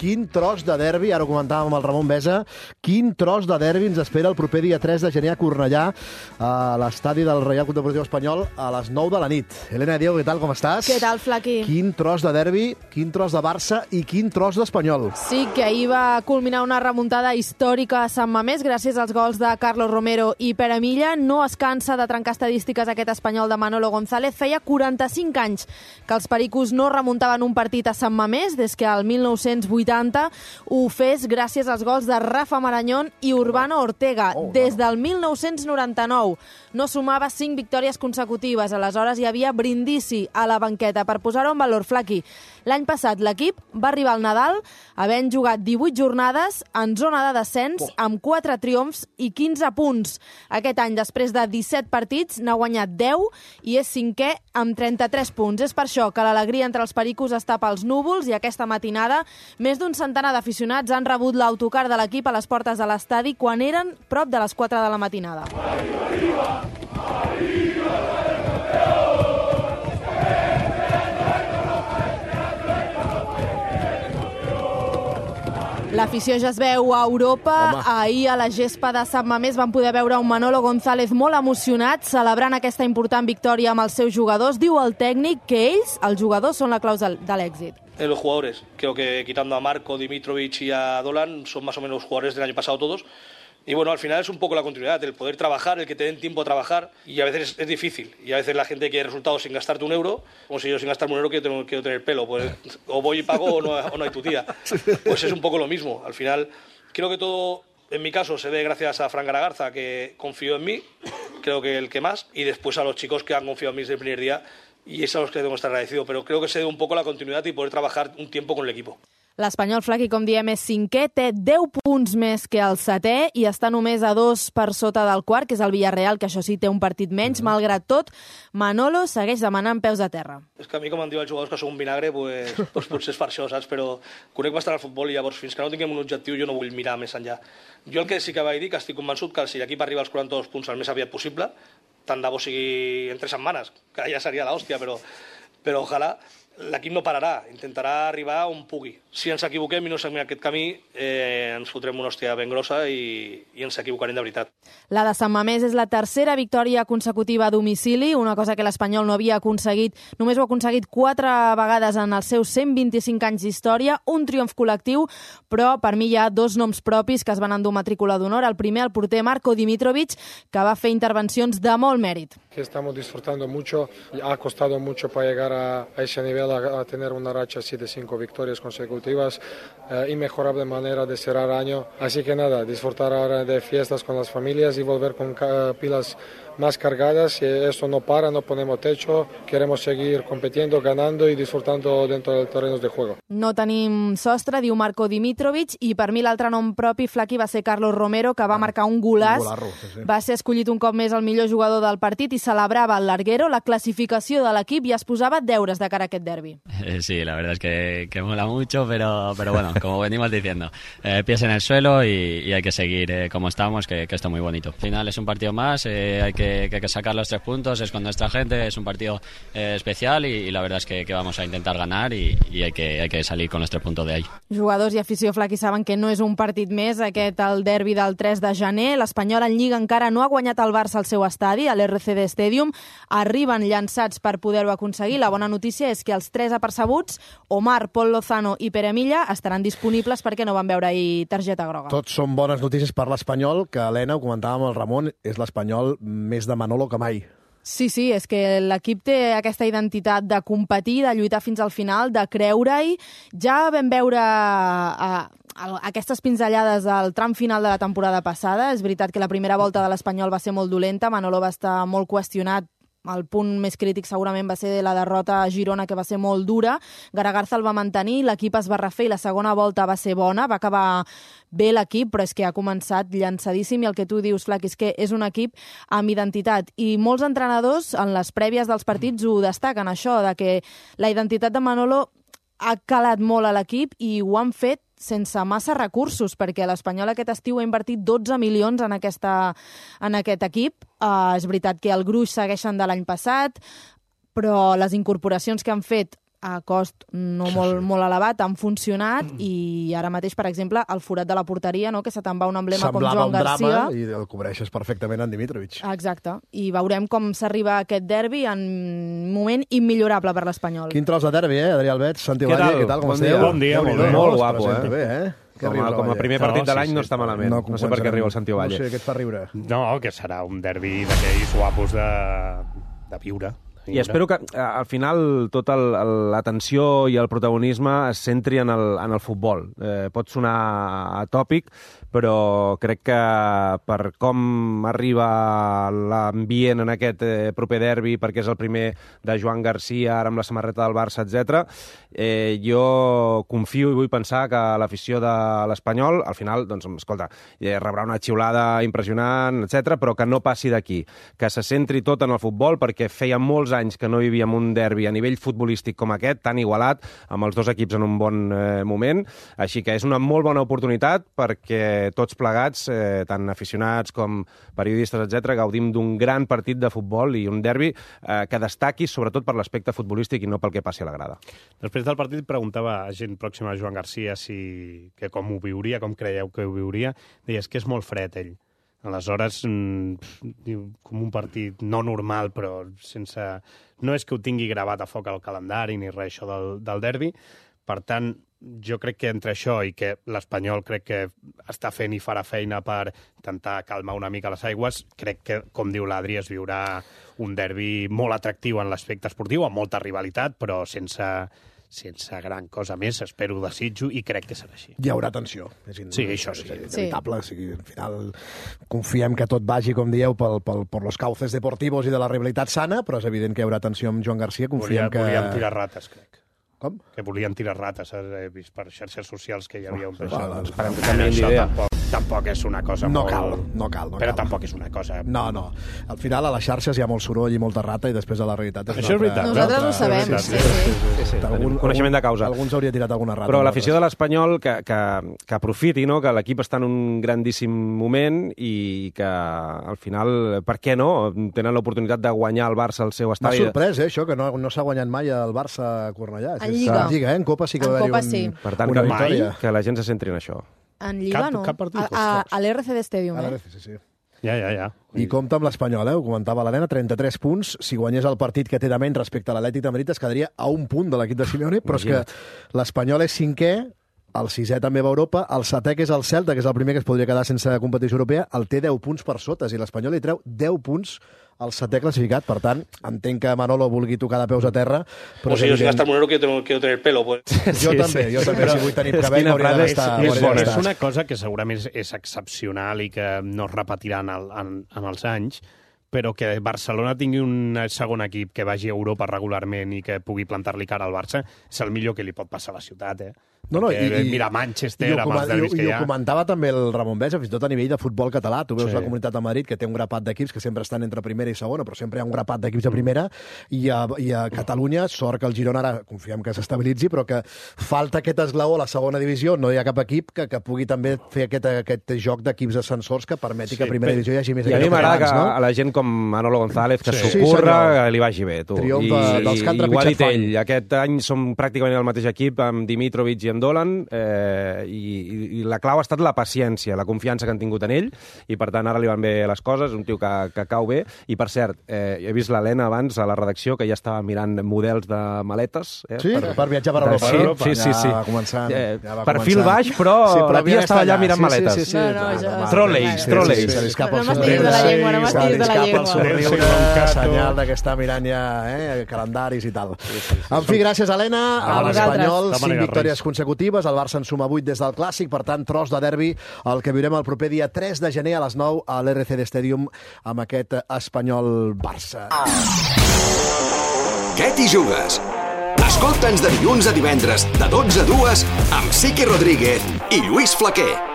quin tros de derbi, ara ho comentàvem amb el Ramon Besa, quin tros de derbi ens espera el proper dia 3 de gener a Cornellà, a l'estadi del Reial Club Deportiu Espanyol, a les 9 de la nit. Elena Diego, què tal, com estàs? Què tal, Flaqui? Quin tros de derbi, quin tros de Barça i quin tros d'Espanyol. Sí, que ahir va culminar una remuntada històrica a Sant Mamés gràcies als gols de Carlos Romero i Pere Milla. No es cansa de trencar estadístiques aquest espanyol de Manolo González. Feia 45 anys que els pericos no remuntaven un partit a Sant Mamés, des que el 1980 ho fes gràcies als gols de Rafa Marañón i Urbano Ortega. Des del 1999 no sumava 5 victòries consecutives. Aleshores hi havia brindisi a la banqueta. Per posar-ho en valor, Flaqui, l'any passat l'equip va arribar al Nadal havent jugat 18 jornades en zona de descens amb 4 triomfs i 15 punts. Aquest any, després de 17 partits, n'ha guanyat 10 i és 5è amb 33 punts. És per això que l'alegria entre els pericos està pels núvols i aquesta matinada més d'un centenar d'aficionats han rebut l'autocar de l'equip a les portes de l'estadi quan eren prop de les 4 de la matinada. L'afició ja es veu a Europa. Ahir a la gespa de Sant Mamés van poder veure un Manolo González molt emocionat celebrant aquesta important victòria amb els seus jugadors. Diu el tècnic que ells, els jugadors, són la clau de l'èxit. Los jugadores, creo que quitando a Marco, Dimitrovic y a Dolan, son más o menos los jugadores del año pasado todos. Y bueno, al final es un poco la continuidad, el poder trabajar, el que te den tiempo a trabajar, y a veces es difícil. Y a veces la gente quiere resultados sin gastarte un euro, como si yo sin gastarme un euro quiero tener pelo. Pues o voy y pago o no hay tu tía. Pues es un poco lo mismo. Al final, creo que todo, en mi caso, se ve gracias a Fran Garagarza, que confió en mí, creo que el que más, y después a los chicos que han confiado en mí desde el primer día, y es a los que tengo que estar agradecido. Pero creo que se debe un poco la continuidad y poder trabajar un tiempo con el equipo. L'Espanyol, Flaqui, com diem, és 5è, té 10 punts més que el 7è i està només a 2 per sota del quart, que és el Villarreal, que això sí té un partit menys. Malgrat tot, Manolo segueix demanant peus a terra. És que a mi, com em diuen els jugadors que sou un vinagre, pues potser és per això, saps? Però conec bastant el futbol i llavors fins que no tinguem un objectiu jo no vull mirar més enllà. Jo el que sí que vaig dir, que estic convençut que si l'equip arriba als 42 punts el més aviat possible, tant de bo sigui en 3 setmanes, que ja seria l'hòstia, però ojalà l'equip no pararà, intentarà arribar on pugui. Si ens equivoquem i no seguim aquest camí, ens fotrem una hòstia ben grossa i ens equivocarem de veritat. La de Sant Mamés és la tercera victòria consecutiva a domicili, una cosa que l'Espanyol no havia aconseguit, només ho ha aconseguit 4 vegades en els seus 125 anys d'història, un triomf col·lectiu, però per mi hi ha 2 noms propis que es van endur matrícula d'honor. El primer, el porter Marco Dimitrovic, que va fer intervencions de molt mèrit. Estamos disfrutando mucho, ha costado mucho para llegar a ese nivel, a tener una racha así de 5 victorias consecutivas, inmejorable manera de cerrar año. Así que nada, disfrutar ahora de fiestas con las familias y volver con pilas más cargadas. Y esto no para, no ponemos techo, queremos seguir compitiendo, ganando y disfrutando dentro del terreno de juego. No tenim sostre, diu Marco Dimitrovic, i per mi l'altre nom propi, Flaqui, va ser Carlos Romero, que va marcar un golaç. Va ser escollit un cop més el millor jugador del partit i celebrava el larguero, la clasificació de l'equip, i es posava deures de cara a aquest derbi. Sí, la verdad es que mola mucho, pero bueno, como venimos diciendo, pies en el suelo y hay que seguir como estamos, que está muy bonito. Al final es un partido más, hay que sacar los 3 puntos, es con nuestra gente, es un partido especial y la verdad es que vamos a intentar ganar y hay que salir con los 3 puntos de ahí. Jugadors i afició, Flaqui, saben que no és un partit més aquest el derbi del 3 de gener. L'Espanyol en Lliga encara no ha guanyat el Barça al seu estadi, a l'RCD Stadium. Arriben llançats per poder-ho aconseguir. La bona notícia és que els 3 apercebuts, Omar, Pol Lozano i Pere Milla, estaran disponibles perquè no van veure ahir targeta groga. Tots són bones notícies per l'Espanyol, que, Helena, ho comentàvem amb el Ramon, és l'Espanyol més de Manolo que mai. Sí, és que l'equip té aquesta identitat de competir, de lluitar fins al final, de creure-hi. Ja vam veure aquestes pinzellades del tram final de la temporada passada. És veritat que la primera volta de l'Espanyol va ser molt dolenta, Manolo va estar molt qüestionat. El punt més crític segurament va ser la derrota a Girona, que va ser molt dura. Garagarza el va mantenir, l'equip es va refer i la segona volta va ser bona, va acabar bé l'equip, però és que ha començat llançadíssim i el que tu dius, Flaqui, és que és un equip amb identitat. I molts entrenadors en les prèvies dels partits ho destaquen, això, de que la identitat de Manolo ha calat molt a l'equip i ho han fet sense massa recursos, perquè l'Espanyol aquest estiu ha invertit 12 milions en aquest equip. És veritat que el gruix segueixen de l'any passat, però les incorporacions que han fet a cost no molt elevat, han funcionat i ara mateix, per exemple, el forat de la porteria, no? Que se te'n va un emblema com Joan Garcia. Semblava un drama i el cobreixes perfectament en Dimitrovic. Exacte, i veurem com s'arriba a aquest derbi en un moment immillorable per l'Espanyol. Quin tros de derbi, Adrià Albet, Santi Valle, què tal, com esteu? Bon dia, molt guapo, Com a primer partit de l'any no està malament. No sé per què riu el Santi Valle. No sé, què et fa riure? No, que serà un derbi d'aquells guapos de viure. I espero que al final tota l'atenció i el protagonisme es centri en el futbol. Pot sonar atòpic, però crec que per com arriba l'ambient en aquest proper derbi, perquè és el primer de Joan Garcia, ara amb la samarreta del Barça, etc. Jo confio i vull pensar que l'afició de l'Espanyol, al final, doncs, escolta, rebrà una xiulada impressionant, etc, però que no passi d'aquí, que se centri tot en el futbol, perquè feia molts anys que no vivíem un derbi a nivell futbolístic com aquest, tan igualat, amb els dos equips en un bon moment, així que és una molt bona oportunitat perquè tots plegats, tant aficionats com periodistes, etc, gaudim d'un gran partit de futbol i un derbi que destaqui sobretot per l'aspecte futbolístic i no pel que passi a la grada. Després del partit preguntava a gent pròxima a Joan Garcia com ho viuria, com creieu que ho viuria. Deies que és molt fred, ell. Aleshores, com un partit no normal, però sense... No és que ho tingui gravat a foc al calendari ni res, això del derbi. Per tant, jo crec que entre això i que l'Espanyol crec que està fent i farà feina per intentar calmar una mica les aigües, crec que, com diu l'Adri, es viurà un derbi molt atractiu en l'aspecte esportiu, amb molta rivalitat, però sense gran cosa més, espero, desitjo, i crec que serà així. Hi haurà tensió. Sí, això sí. És inevitable. Al final confiem que tot vagi, com dieu, per los cauces deportivos i de la rivalitat sana, però és evident que hi haurà tensió amb Joan Garcia. Confiem que... Volíem tirar rates, crec. Com? Que volien tirar rates, he vist per xarxes socials que hi havia un peix. Esperem que canviïn d'idea. Tampoc és una cosa no molt... No cal. Però tampoc és una cosa... No. Al final, a les xarxes hi ha molt soroll i molta rata i després a la realitat és això és veritat. Nosaltres ho sabem, sí. Coneixement de causa. Alguns hauria tirat alguna rata. Però l'afició de l'Espanyol que aprofiti, no? Que l'equip està en un grandíssim moment i que al final, per què no? Tenen l'oportunitat de guanyar el Barça al seu estadi. M'ha sorprès, això, que no s'ha guanyat mai el Barça a Cornellà. En Lliga. En Copa sí que va haver-hi Per tant, que la gent se centri en això. En Lliga no. Cap partit, a l'RCD Stadium, a l'RCD, sí. Ja. I compta amb l'Espanyol, ho comentava l'Helena, 33 punts. Si guanyés el partit que té de menys respecte a l'Atlètic de Madrid, es quedaria a un punt de l'equip de Simeone, però és que l'Espanyol és cinquè, el sisè també va a Europa, el setè, que és el Celta, que és el primer que es podria quedar sense competició europea, el té 10 punts per sota, i l'Espanyol li treu 10 punts al setè classificat. Per tant, entenc que Manolo vulgui tocar de peus a terra. Però si yo sin gastar monero quiero tener pelo. Pues. Jo també, si vull tenir cabell m'hauria de gastar. És una cosa que segurament és excepcional i que no es repetirà en els anys, però que Barcelona tingui un segon equip que vagi a Europa regularment i que pugui plantar-li cara al Barça, és el millor que li pot passar a la ciutat, mira Manchester amb els derbis que hi ha. I ho comentava també el Ramon Besa, fins i tot a nivell de futbol català. Tu veus la Comunitat de Madrid, que té un grapat d'equips que sempre estan entre primera i segona, però sempre hi ha un grapat d'equips de primera, i a Catalunya, sort que el Girona ara confiem que s'estabilitzi, però que falta aquest esglaó a la segona divisió. No hi ha cap equip que pugui també fer aquest joc d'equips ascensors que permeti que a primera divisió hi hagi més equips. I a mi m'agrada que a la gent com Manolo González, que s'ocorra, li vagi bé. Triomf dels que han trepitjat fang. Aquest any som pràcticament el mateix equip amb Dimitrovic i en Dolan, i la clau ha estat la paciència, la confiança que han tingut en ell, i per tant ara li van bé les coses, un tio que cau bé. I per cert, he vist l'Helena abans a la redacció que ja estava mirant models de maletes. Sí, per viatjar per Europa. Sí. Ja va començar. Perfil baix, però la tia estava allà mirant maletes. Trolleys. No m'estiguis de la llengua, no m'estiguis de la llengua. Senyal que està mirant ja calendaris i tal. En fi, gràcies, Helena. A l'Espanyol, 5 victòries consecutives. El Barça en suma 8 des del Clàssic. Per tant, tros de derbi, el que viurem el proper dia 3 de gener a les 9 a l'RCD Stadium amb aquest Espanyol-Barça. Què t'hi jugues? Escolta'ns de dilluns a divendres de 12 a 2 amb Siqui Rodríguez i Lluís Flaquer.